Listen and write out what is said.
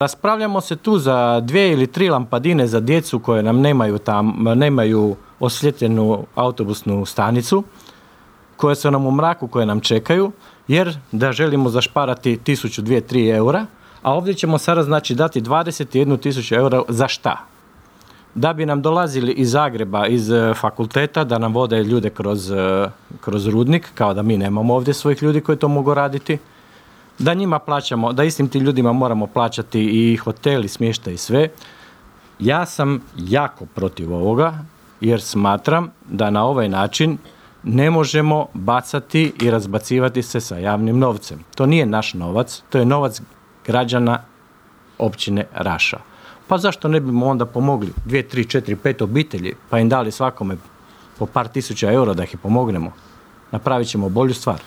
Raspravljamo se tu za 2 ili 3 lampadine za djecu koje nam nemaju osvjetljenu autobusnu stanicu, koje su nam u mraku, koje nam čekaju, jer da želimo zašparati 1000, 2, 3 eura, a ovdje ćemo sada znači dati 21.000 eura za šta? Da bi nam dolazili iz Zagreba, iz fakulteta, da nam vode ljude kroz rudnik, kao da mi nemamo ovdje svojih ljudi koji to mogu raditi, da njima plaćamo, da istim tim ljudima moramo plaćati i hotel i smještaj i sve. Ja sam jako protiv ovoga, jer smatram da na ovaj način ne možemo bacati i razbacivati se sa javnim novcem. To nije naš novac, to je novac građana općine Raša. Pa zašto ne bimo onda pomogli 2, 3, 4, 5 obitelji, pa im dali svakome po par tisuća eura da ih pomognemo? Napravit ćemo bolju stvar.